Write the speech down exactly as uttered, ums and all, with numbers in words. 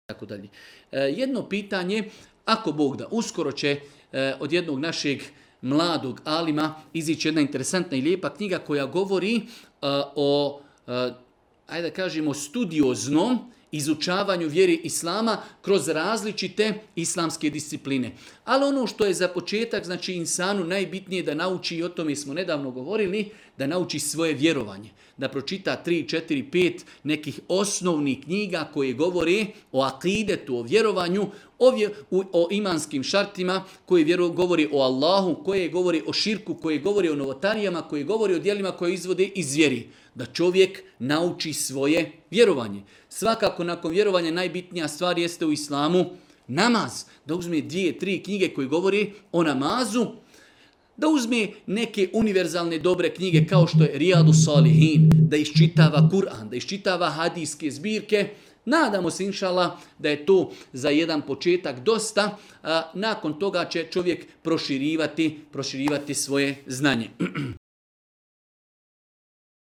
tako dalje. Jedno pitanje, ako Bog da, uskoro će od jednog našeg mladog alima izići jedna interesantna i lijepa knjiga koja govori o, ajde da kažemo, studioznom izučavanju vjeri Islama kroz različite islamske discipline. Ali ono što je za početak, znači insanu najbitnije da nauči, i o tome smo nedavno govorili, da nauči svoje vjerovanje. Da pročita tri, četiri, pet nekih osnovnih knjiga koje govore o akidetu, o vjerovanju, o, vjer, o imanskim šartima, koje vjeru, govori o Allahu, koje govori o širku, koje govori o novotarijama, koje govori o djelima koje izvode iz vjeri. Da čovjek nauči svoje vjerovanje. Svakako nakon vjerovanja najbitnija stvar jeste u islamu namaz. Da uzme dvije, tri knjige koje govori o namazu, da uzme neke univerzalne dobre knjige kao što je Rijadu Salihin, da iščitava Kur'an, da iščitava hadijske zbirke. Nadamo se, inšala, da je to za jedan početak dosta. A nakon toga će čovjek proširivati, proširivati svoje znanje.